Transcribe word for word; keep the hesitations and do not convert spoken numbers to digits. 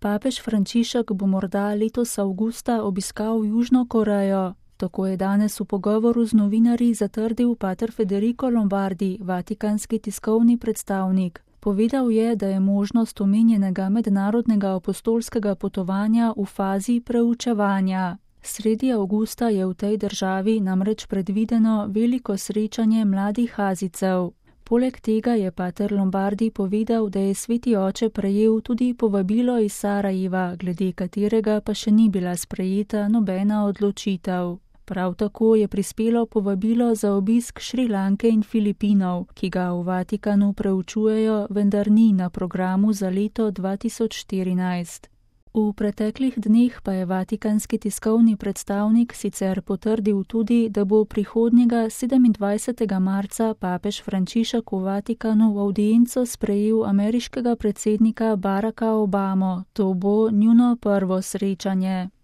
Papež Frančišek bo morda letos avgusta obiskal Južno Korejo. Tako je danes v pogovoru z novinarji zatrdil pater Federico Lombardi, vatikanski tiskovni predstavnik. Povedal je, da je možnost omenjenega mednarodnega apostolskega potovanja v fazi preučevanja. Sredi avgusta je v tej državi namreč predvideno veliko srečanje mladih Azijcev. Poleg tega je pater Lombardi povedal, da je sveti oče prejel tudi povabilo iz Sarajeva, glede katerega pa še ni bila sprejeta nobena odločitev. Prav tako je prispelo povabilo za obisk Šrilanke in Filipinov, ki ga v Vatikanu preučujejo, vendar ni na programu za leto dva tisoč štirinajst. V preteklih dneh pa je vatikanski tiskovni predstavnik sicer potrdil tudi, da bo prihodnjega sedemindvajsetega marca papež Frančišek v Vatikanu v avdienco sprejel ameriškega predsednika Baracka Obamo. To bo njuno prvo srečanje.